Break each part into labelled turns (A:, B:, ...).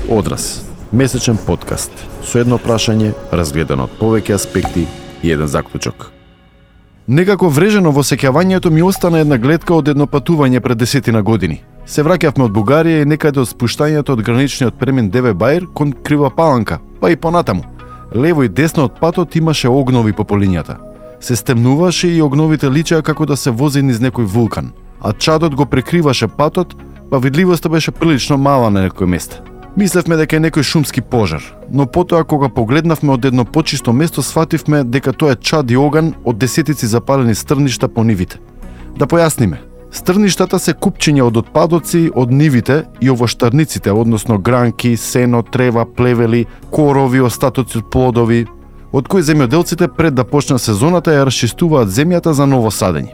A: Одраз, месечен подкаст со едно прашање разгледано од повеќе аспекти и еден заклучок. Некако врежено во сеќавањето ми остана една гледка од едно патување пред 10 години. Се враќавме од Бугарија и некаде од спуштањето од граничниот премин Деве Баир кон Крива Паланка, па и понатаму. Лево и десно од патот имаше огнови по полињата. Се стемнуваше и огновите личеа како да се вози низ некој вулкан, а чадот го прекриваше патот, па видливоста беше прилично мала на некој места. Мислевме дека е некој шумски пожар, но потоа кога погледнавме од едно почисто место сфативме дека тоа е чад и оган од десетици запалени стрништа по нивите. Да појасниме, стрништата се купчиња од отпадоци од нивите и овоштарниците, односно гранки, сено, трева, плевели, корови, остатоци од плодови, од кои земјоделците пред да почне сезоната ја расчистуваат земјата за ново садење.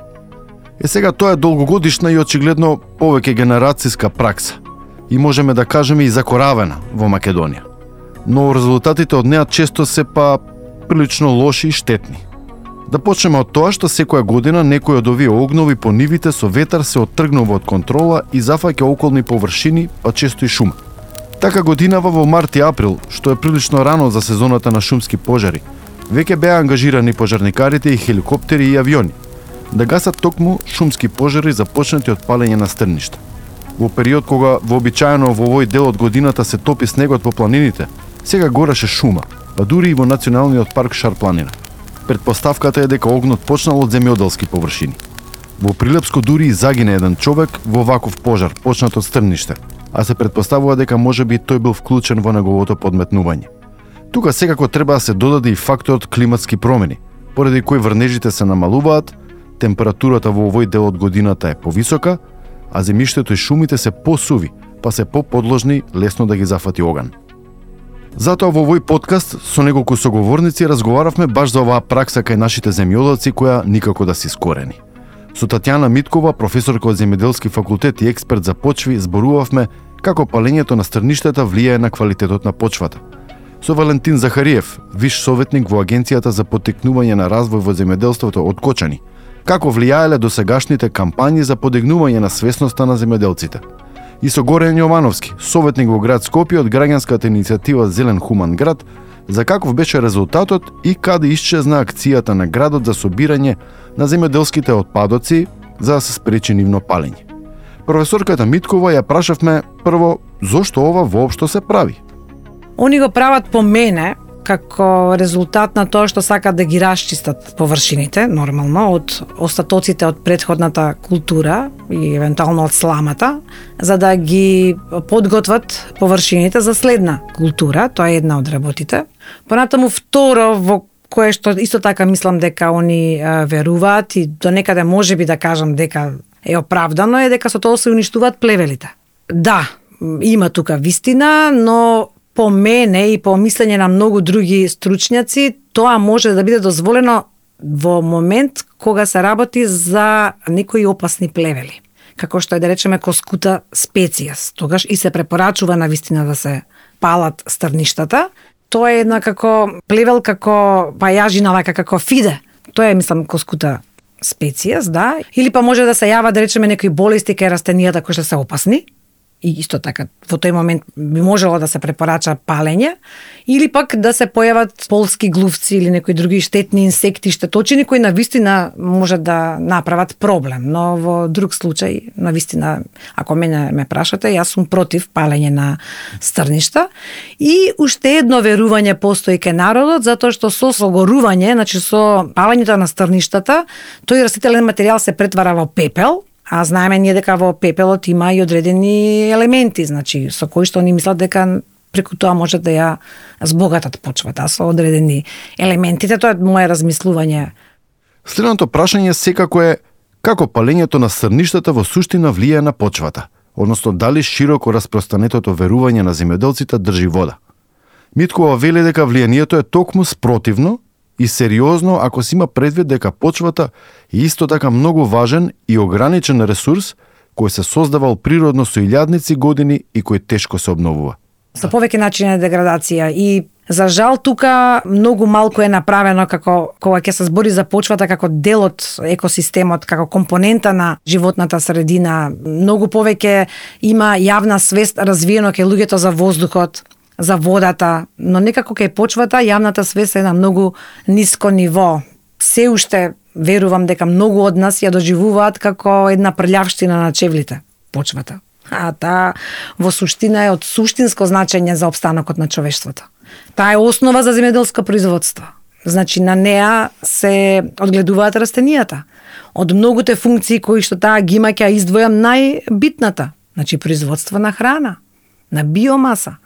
A: Сега тоа е долгогодишна и очигледно повеќе генерацијска пракса и можеме да кажеме и закоравена во Македонија. Но резултатите од неа често се па прилично лоши и штетни. Да почнеме од тоа што секоја година некој од овие огнови по нивите со ветар се оттргнува од контрола и зафаќа околни површини, па често и шума. Така годинава во март и април, што е прилично рано за сезоната на шумски пожари, веќе беа ангажирани пожарникарите и хеликоптери и авиони да гасат токму шумски пожари започнати од палење на стрништа. Во период кога вообичаено во овој дел од годината се топи снегот по планините, сега гореше шума, па дури и во националниот парк Шар-планина. Предпоставката е дека огнот почнал од земјоделски површини. Во Прилепско дури и загине еден човек во ваков пожар, почнат од стрниште, а се предпоставува дека можеби тој бил вклучен во неговото подметнување. Тука секако треба да се додаде и факторот климатски промени, поради кои врнежите се намалуваат, температурата во овој дел од годината е повисока, а земјиштето и шумите се посуви, па се поподложни лесно да ги зафати оган. Затоа во овој подкаст со неколку соговорници разговаравме баш за оваа пракса кај нашите земјоделци која никако да се искорени. Со Татјана Миткова, професорка од земјоделски факултет и експерт за почви, зборувавме како палењето на стрништата влијае на квалитетот на почвата. Со Валентин Захариев, виш советник во Агенцијата за поттикнување на развој во земјоделството од Кочани, како влијаеле досегашните кампањи за подигнување на свесноста на земјоделците. И со Горен Јовановски, советник во град Скопје од граѓанската иницијатива Зелен хуман град, за каков беше резултатот и каде исчезна акцијата на градот за собирање на земјоделските отпадоци за да се спречи нивно палење. Професорката Миткова ја прашавме прво зошто ова воопшто се прави.
B: Они го прават по мене како резултат на тоа што сакат да ги расчистат површините, нормално, од остатоците од претходната култура и евентуално од сламата, за да ги подготват површините за следна култура. Тоа е една од работите. Понатаму второ, во кое што исто така мислам дека они веруваат и до некаде можеби да кажам дека е оправдано, е дека со тоа се уништуваат плевелите. Да, има тука вистина, но по мене и по мислење на многу други стручњаци, тоа може да биде дозволено во момент кога се работи за некои опасни плевели, како што е да речеме коскута специјас. Тогаш и се препорачува на вистина да се палат стрништата. Тоа е една како плевел, како пајажина, како фиде. Тоа е, мислам, коскута специјас, да. Или па може да се јава, да речеме, некои болести кај растенијата кои што се опасни. И исто така, во тој момент би можело да се препорача палење, или пак да се појават полски глувци или некои други штетни инсекти, штеточини, кои навистина може да направат проблем. Но во друг случај, навистина, ако мене ме прашате, јас сум против палење на стрништа. И уште едно верување постои кај народот, затоа што со согорување, значи со палењето на стрништата, тој растителен материјал се претвара во пепел, а знаеме ние дека во пепелот има и одредени елементи, значи со кои што они мислат дека преку тоа може да ја збогатат почвата со одредени елементите. Тоа е мое размислување.
A: Следното прашање секако е како палењето на стрништата во суштина влијае на почвата, односно дали широко распространетото верување на земјоделците држи вода. Миткова вели дека влијанието е токму спротивно и сериозно ако се има предвид дека почвата е исто така многу важен и ограничен ресурс кој се создавал природно со илјадници години и кој тешко се обновува.
B: Со повеќе начини на деградација и За жал, тука многу малку е направено кога ќе се збори за почвата како дел од екосистемот, како компонента на животната средина. Многу повеќе има јавна свест развиено кај луѓето за воздухот, за водата, но некако кај почвата јавната свест е на многу ниско ниво. Се уште верувам дека многу од нас ја доживуваат како една прљавштина на чевлите, почвата. А таа во суштина е од суштинско значење за опстанокот на човештвото. Таа е основа за земјоделско производство. Значи на неа се одгледуваат растенијата. Од многуте функции кои што таа ги има ќе издвојам најбитната, значи производство на храна, на биомаса.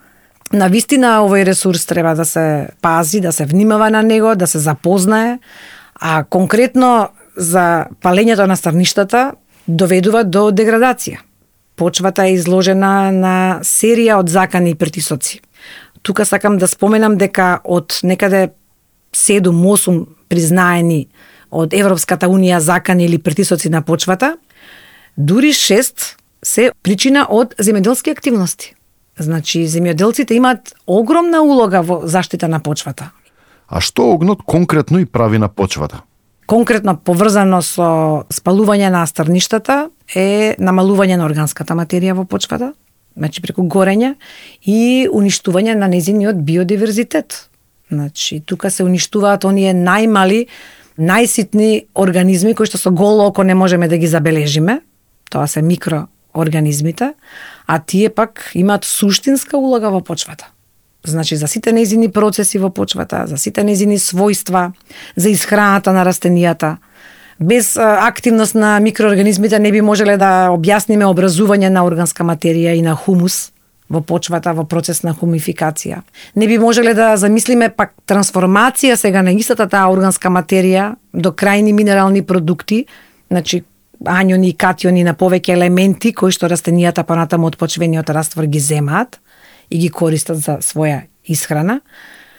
B: На вистина овој ресурс треба да се пази, да се внимава на него, да се запознае, а конкретно за палењето на старништата доведува до деградација. Почвата е изложена на серија од закани и притисоци. Тука сакам да споменам дека од некаде 7-8 признаени од Европската унија закани или притисоци на почвата, дури 6 се причина од земјоделски активности. Значи, земјоделците имаат огромна улога во заштита на почвата.
A: А што огнот конкретно и прави на почвата?
B: Конкретно поврзано со спалување на старништата е намалување на органската материја во почвата, значи преку горење и уништување на незиниот биодиверзитет. Значи, тука се уништуваат оние најмали, најситни организми кои што со голо око не можеме да ги забележиме. Тоа се микроорганизмите, а тие пак имаат суштинска улога во почвата. Значи, за сите незини процеси во почвата, за сите незини својства, за исхраната на растенијата. Без активност на микроорганизмите не би можеле да објасниме образување на органска материја и на хумус во почвата во процес на хумификација. Не би можеле да замислиме пак трансформација сега на истата таа органска материја до крајни минерални продукти, значи ањони и катиони на повеќе елементи кои што растенијата понатаму од почвениот раствор ги земаат и ги користат за своја исхрана,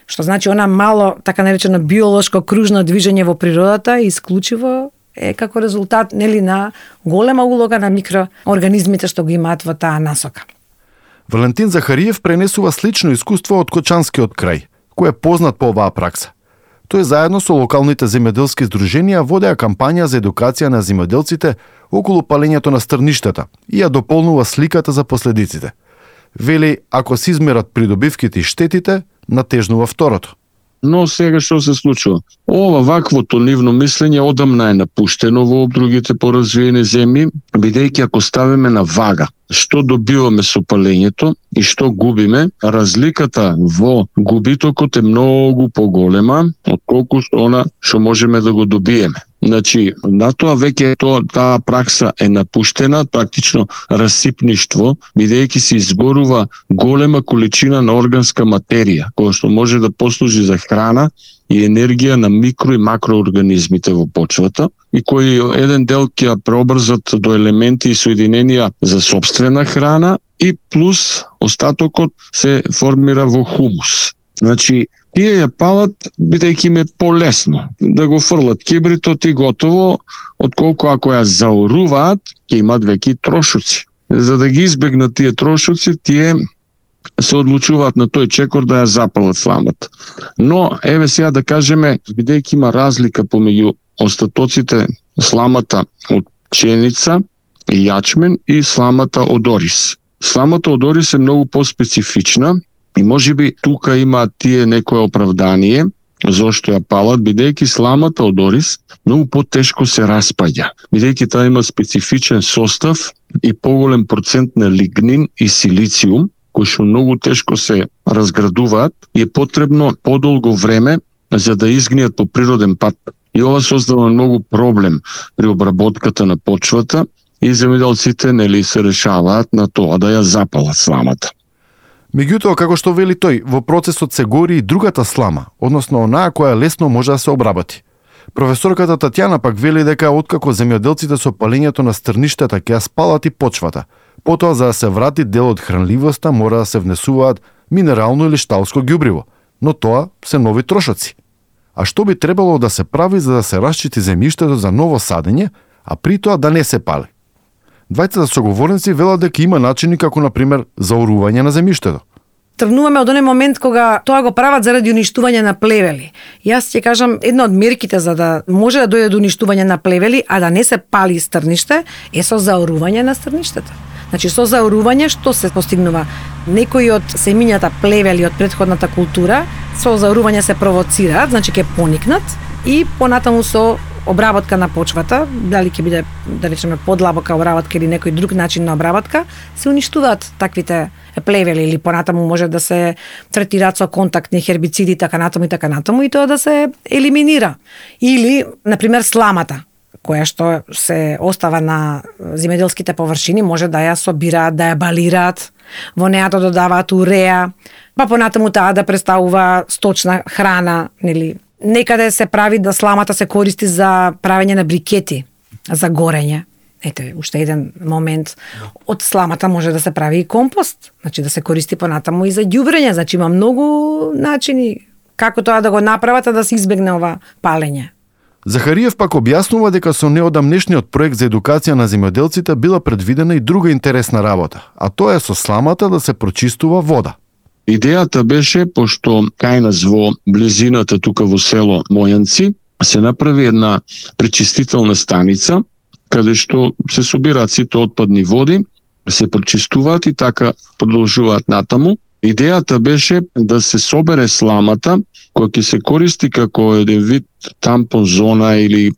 B: што значи она мало, така наречено биолошко кружно движење во природата исклучиво е како резултат нели на голема улога на микроорганизмите што го имаат во таа насока.
A: Валентин Захариев пренесува слично искуство од Кочанскиот крај, кој е познат по оваа пракса. Тој заедно со локалните земјоделски здруженија водеа кампања за едукација на земјоделците околу палењето на стрништата и ја дополнува сликата за последиците. Вели, ако се измерат придобивките и штетите, натежнува второто.
C: Но сега што се случува? Ова ваквото нивно мислење одамна е напуштено во другите поразвиени земји, бидејќи ако ставиме на вага што добиваме со палењето и што губиме, разликата во губитокот е многу поголема отколку она што можеме да го добиеме. Значи, на тоа веќе таа пракса е напуштена, практично расипништво, бидејќи се изборува голема количина на органска материја, која што може да послужи за храна и енергија на микро и макроорганизмите во почвата и кои еден дел ќе ја преобрзат до елементи и соединенија за собствена храна и плюс остатокот се формира во хумус. Значи, тие ја палат бидејќи им е полесно да го фрлат кибритот и готово, отколку ако ја заоруваат, ќе имат веќе трошоци. За да ги избегнат тие трошоци, тие се одлучуваат на тој чекор да ја запалат сламата. Но, еве сега да кажеме, бидејќи има разлика помеѓу остатоците сламата од пшеница и јачмен и сламата од орис. Сламата од орис е многу поспецифична и можеби тука има тие некое оправдание зошто ја палат, бидејќи сламата од орис многу потешко се распаѓа, бидејќи таа има специфичен состав и поголем процент на лигнин и силициум, кои што многу тешко се разградуваат и е потребно подолго време за да изгниат по природен пат. И ова создава многу проблем при обработката на почвата и земјоделците нели се решаваат на тоа да ја запалат сламата.
A: Меѓутоа, како што вели тој, во процесот се гори и другата слама, односно онаа која лесно може да се обработи. Професорката Татјана пак вели дека откако земјоделците со палењето на стрништата ќе ја спалат и почвата, потоа за да се врати дел од хранливоста мора да се внесуваат минерално или шталско ѓубриво, но тоа се нови трошоци. А што би требало да се прави за да се расчити земјиштето за ново садење, а при тоа да не се пали? Двајцата соговорници велат дека има начини како, например, заорување на земјиштето.
B: тргнуваме од оној момент кога тоа го прават заради уништување на плевели. Јас ќе кажам, една од мерките за да може да дојде до уништување на плевели, а да не се пали стрниште, е со заорување на стрништата. Значи, со заорување што се постигнува? Некои од семињата плевели од претходната култура, со заорување се провоцираат, значи ќе поникнат и понатаму со обработка на почвата, дали ќе биде, да речеме, подлабока обработка или некој друг начин на обработка, се уништуваат таквите плевели или понатаму може да се третираат со контактни хербициди, така натаму и тоа да се елиминира. Или, например, сламата, која што се остава на земјоделските површини, може да ја собираат, да ја балираат, во неа да додаваат уреа, па понатаму таа да представува сточна храна, нели. Некаде се прави да сламата се користи за правење на брикети, за горење. Ете, уште еден момент. Од сламата може да се прави и компост, значи да се користи понатаму и за ѓубрење, значи има многу начини како тоа да го направат, а да се избегне ова палење.
A: Захариев пак објаснува дека со неодамнешниот проект за едукација на земјоделците била предвидена и друга интересна работа, а тоа е со сламата да се прочистува вода.
C: Идејата беше, пошто кај нас во близината тука во село Мојанци се направи една пречистителна станица, каде што се собираат сите отпадни води, се пречистуваат и така продолжуваат натаму. Идејата беше да се собере сламата, која ќе се користи како еден вид тампон зона или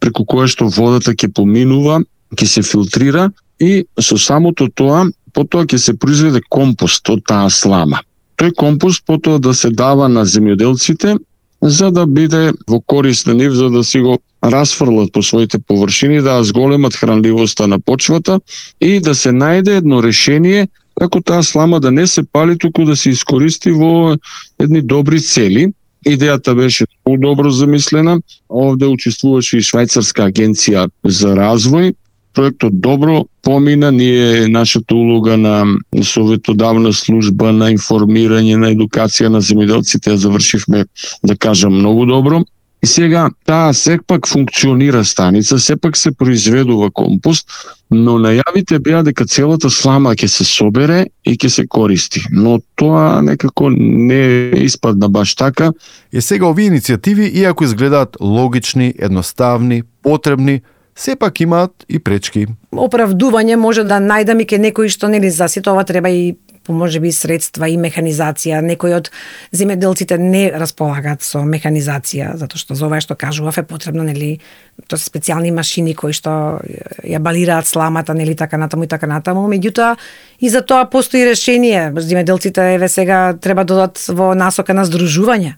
C: преку која што водата ќе поминува, ќе се филтрира и со самото тоа, потоа ќе се произведе компост од таа слама. Тој компост потоа да се дава на земјоделците за да биде во корист на нив, за да си го расфрлат по своите површини, да зголемат хранливоста на почвата и да се најде едно решение како таа слама да не се пали, туку да се искористи во едни добри цели. Идејата беше добро замислена. Овде учествуваше и Швајцарска агенција за развој. Проектот добро помина, ние нашата улога на советодавна служба на информирање, на едукација на земјоделците ја завршивме, да кажам, многу добро. И сега таа сепак функционира станица, сепак се произведува компост, но најавите беа дека целата слама ќе се собере и ќе се користи. Но тоа некако не испадна баш така.
A: И сега овие иницијативи, иако изгледаат логични, едноставни, потребни, сепак имаат и пречки.
B: Оправдување може да најдам и ке некои што нели за сето ова треба и можеби средства и механизација. Некои од земјоделците не располагаат со механизација, затоа што за ова што кажував е потребно нели тоа се специјални машини кои што ја балираат сламата, нели така натаму и така натаму. Меѓутоа и за тоа постои решение. Земјоделците еве сега треба да додат во насока на здружување.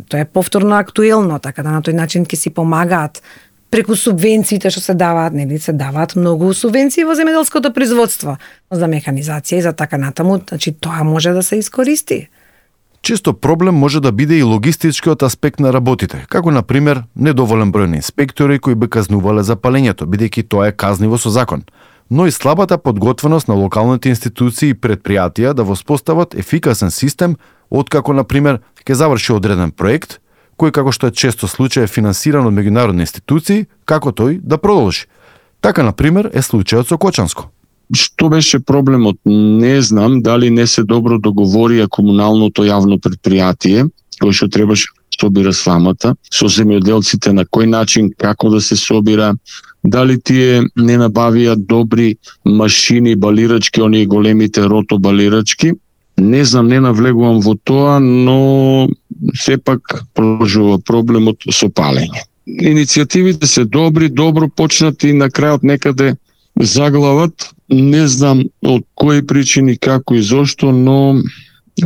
B: Тоа е повторно актуелно, така да на тој начин ќе си помагаат преку субвенциите што се даваат, нели се даваат многу субвенции во земјоделското производство за механизација и за така натаму, значи тоа може да се искористи.
A: Често проблем може да биде и логистичкиот аспект на работите, како на пример недоволен број на инспектори кои би казнувале за палењето, бидејќи тоа е казниво со закон, но и слабата подготвеност на локалните институции и предпријатија да воспостават ефикасен систем откако на пример ќе заврши одреден проект кој, како што е често случај, е финансиран од меѓународни институции, како тој да продолжи. Така, например, е случајот со Кочанско.
C: Што беше проблемот? Не знам дали не се добро договорија комуналното јавно предпријатие, кој што требаше да собира сламата, со земјоделците, на кој начин, како да се собира, дали тие не набавија добри машини, балирачки, оние големите ротобалирачки. Не знам, не навлегувам во тоа, но сепак продолжува проблемот со палење. Иницијативите се добри, добро почнати, на крајот некаде заглават. Не знам од кои причини, како и зошто, но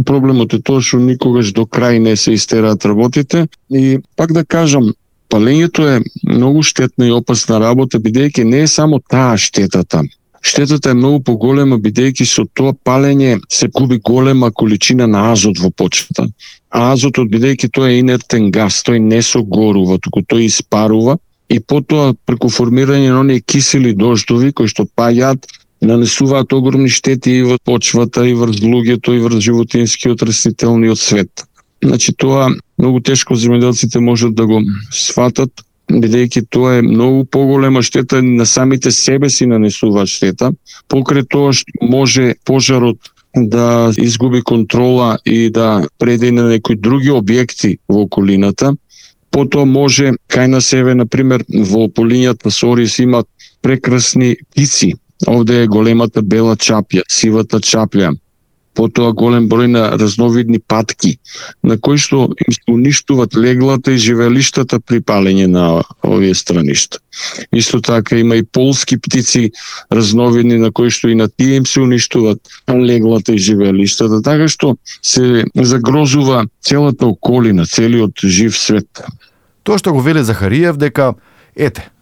C: проблемот е тоа што никогаш до крај не се истераат работите. И пак да кажам, палењето е многу штетна и опасна работа, бидејќи не е само таа штетата. Штетата е многу поголема, бидејќи со тоа палење се губи голема количина на азот во почвата. А азотот, бидејќи тоа е инертен газ, тој не согорува, туку тој испарува и потоа преку формирање на оние кисели дождови кои што паѓаат, нанесуваат огромни штети и во почвата, и врз луѓето, и врз животинскиот растителниот свет. Значи тоа многу тешко земјоделците можат да го сватат, бидејќи тоа е многу поголема штета, на самите себе си нанесуваат штета. Покрај тоа што може пожарот да изгуби контрола и да преде на некои други објекти во околината. Потоа може кај на себе, например, во полињата Сорис имат прекрасни птици. Овде е големата бела чапја, сивата чапја. Потоа голем број на разновидни патки, на кои што им се уништуваат леглата и живеелиштата при палење на овие страништа. Исто така има и полски птици разновидни, на кои што и на тие им се уништуваат леглата и живеелиштата, така што се загрозува целата околина, целиот жив свет.
A: Тоа што го вели Захариев дека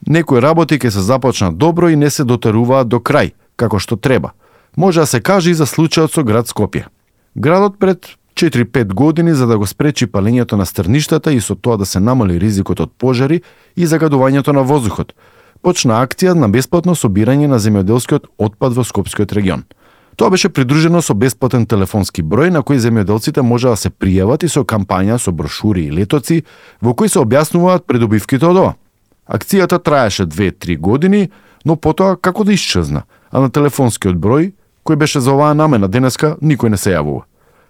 A: некои работи ќе се започнат добро и не се дотеруваат до крај, како што треба. Може да се каже и за случајот со град Скопје. Градот пред 4-5 години за да го спречи палењето на стрништата и со тоа да се намали ризикот од пожари и загадувањето на воздухот, почна акција на бесплатно собирање на земјоделскиот отпад во Скопскиот регион. Тоа беше придружено со бесплатен телефонски број на кој земјоделците може да се пријават и со кампања со брошури и летоци во кои се објаснуваат придобивките од ова. Акцијата траеше 2-3 години, но потоа како да исчезна, а на телефонскиот број кој беше за оваа намена денеска никој не се јавува.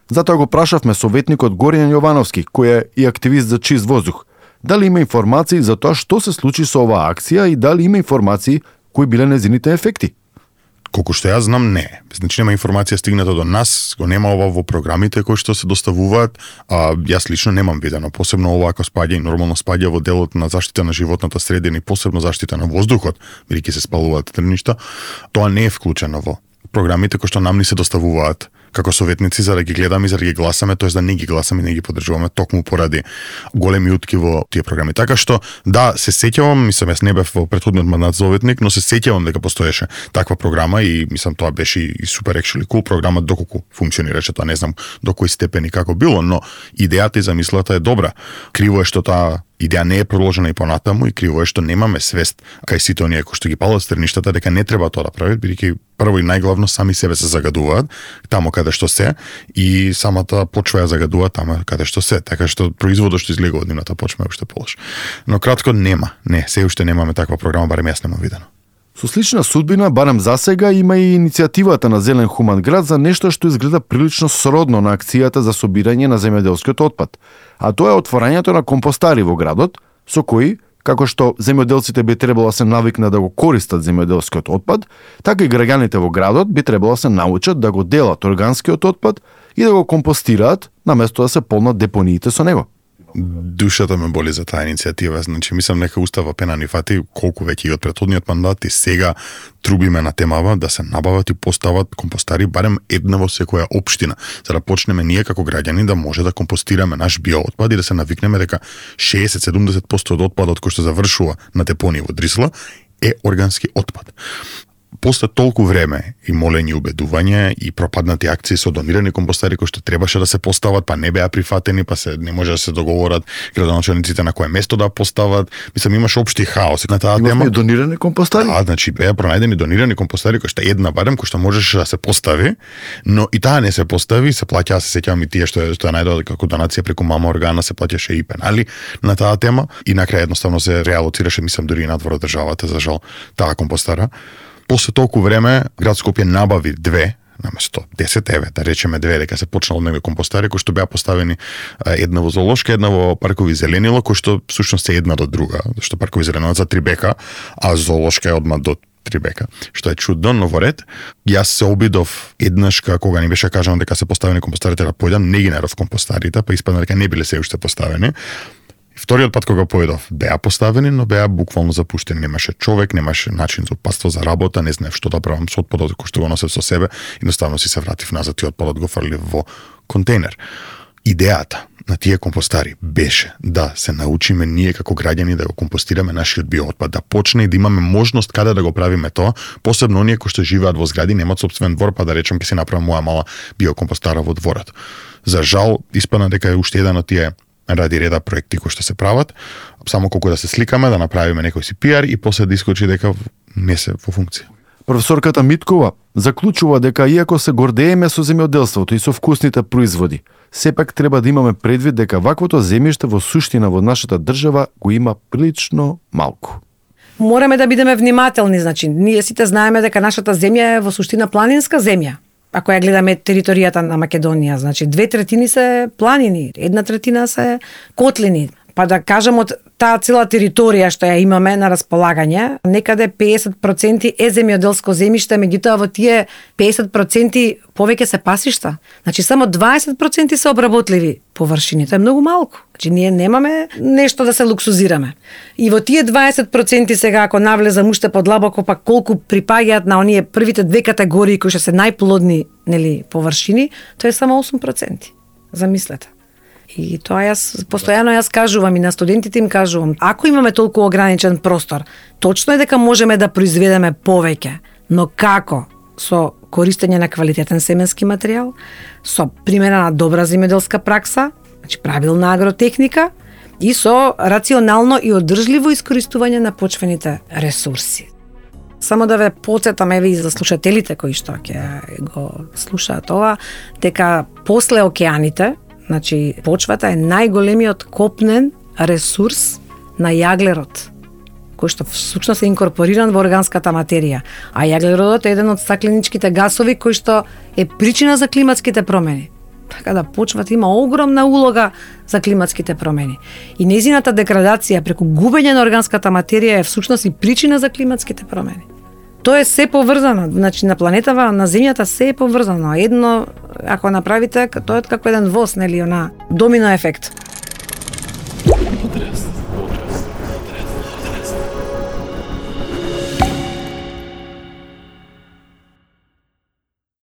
A: Затоа го прашавме советникот Горијан Јовановски, кој е и активист за чист воздух, дали има информации за тоа што се случи со оваа акција и дали има информации кои биле нејзините ефекти.
D: Колку што јас знам, не. Значи нема информација стигната до нас, го нема ова во програмите кои што се доставуваат, а јас лично немам видено. Посебно ова ако спаѓа и нормално спаѓа во делот на заштита на животната средина и посебно заштита на воздухот, бидејќи се спалуваат трништа, тоа не е вклучено во програмите кои што нам ни се доставуваат како советници за да ги гледаме и за да ги гласаме, тоест да не ги гласаме, не ги поддржуваме токму поради големи утки во тие програми. Така што да, се сеќавам, мислам јас не бев во претходниот мандат советник, но се сеќавам дека постоеше таква програма и мислам тоа беше и супер actually cool програма доколку функционираше, тоа не знам до кој степен и како било, но идејата и замислата е добра. Криво е што таа идеја не е продолжена и понатаму и криво е што немаме свест кај сите оние кои што ги палат стрништата дека не треба тоа да прават, бидејќи прво и најглавно сами себе се загадуваат таму каде што се и самата почва ја загадуваат таму каде што се, така што производот што излегува од нивната почва е уште полош. Но кратко се уште немаме таква програма, барем јас немам видено.
A: Со слична судбина, барем засега, има и иницијативата на Зелен хуман град за нешто што изгледа прилично сродно на акцијата за собирање на земјоделскиот отпад, а тоа е отворањето на компостари во градот, со кои, како што земјоделците би требало да се навикнат да го користат земјоделскиот отпад, така и граѓаните во градот би требало да се научат да го делат органскиот отпад и да го компостираат, наместо да се полнат депониите со него.
D: Душата ме боли за таа иницијатива, значи мислам нека устава пена ни фати колку веќе и од претходниот мандат и сега трубиме на темава да се набават и постават компостари барем една во секоја општина, за да почнеме ние како граѓани да може да компостираме наш биоотпад и да се навикнеме дека 60-70% од отпадот кој што завршува на депонија во Дрисла е органски отпад. После толку време и молење, убедување и пропаднати акции со донирани компостари кои што требаше да се постават, па не беа прифатени, па се не може да се договорат градоначалниците на кое место да постават. Мислам имаше општи хаос на таа тема.
A: Имаме донирани компостари?
D: Да, значи беа пронајдени донирани компостари кои што една барем кој што можеше да се постави, но и таа не се постави, се плаќаа, се сеќавам и тие што ја најдоа како донација преку мама органа, се плаќаше и пенали на таа тема и на крај едноставно се реалоцираше, мислам дури и надвор од државата за жал таа компостара. После толку време град Скопје набави 2 наместо 10, да речеме 2, дека се почнало од компостари кои што беа поставени една во Зоолошка, една во паркови Зеленило, кои што всушност е една до друга, зашто паркови Зеленило за Трибека, а Зоолошка е одма до Трибека, што е чудно, но во ред. Јас се обидов еднаш кога ни беше кажано дека се поставени компостарите да појдам, не ги најдов компостарите, па испадна дека не биле се уште поставени. Вториот пат кога појдов, беа поставени, но беа буквално запуштени. Немаше човек, немаше начин за опаство за работа, не знаев што да правам со отпадот кој што го носев со себе, едноставно си се вратив назад и отпадот го фрлив во контейнер. Идејата на тие компостари беше да се научиме ние како граѓани да го компостираме нашиот биоотпад, да почне и да имаме можност каде да го правиме тоа, посебно оние кои што живеат во згради, немаат собствен двор, па да речем ќе си направам моја мала биокомпостара во дворот. За жал, испадна дека е уште еден од тие ради реда проекти кои што се прават, само колку да се сликаме, да направиме некој си пиар и после да искочи дека не се во функција.
A: Професорката Миткова заклучува дека иако се гордееме со земјоделството и со вкусните производи, сепак треба да имаме предвид дека ваквото земјиште во суштина во нашата држава го има прилично малку.
B: Мораме да бидеме внимателни, значи ние сите знаеме дека нашата земја е во суштина планинска земја. ако ја гледаме територијата на Македонија, значи 2/3 се планини, 1/3 се котлини. Па да кажем од таа цела територија што ја имаме на располагање, некаде 50% е земјоделско земјиште, меѓутоа во тие 50% повеќе се пасишта. Значи само 20% се обработливи површини, тоа е многу малку. Значи ние немаме нешто да се луксузираме. И во тие 20% сега ако навлезам уште подлабоко, па колку припаѓаат на оние првите две категории кои што се најплодни, нели, површини, тоа е само 8%. Замислете. И тоа постојано кажувам и на студентите им кажувам, ако имаме толку ограничен простор, точно е дека можеме да произведеме повеќе, но како? Со користење на квалитетен семенски материјал, со примена на добра земјоделска пракса, значи правилна агротехника и со рационално и одржливо искористување на почвените ресурси. Само да ве потсетам, еве и за слушателите кои што ќе го слушаат ова, дека после океаните, значи, почвата е најголемиот копнен ресурс на јаглерод, кој што всушност е инкорпориран во органската материја. А јаглеродот е еден од стакленичките гасови кој што е причина за климатските промени. Така да почвата има огромна улога за климатските промени. И нејзината деградација преку губење на органската материја е всушност и причина за климатските промени. Тоа е се поврзано, значи на планетава, на земјата се е поврзано. Едно, ако направите, тоа е како еден воз, нели, она домино ефект.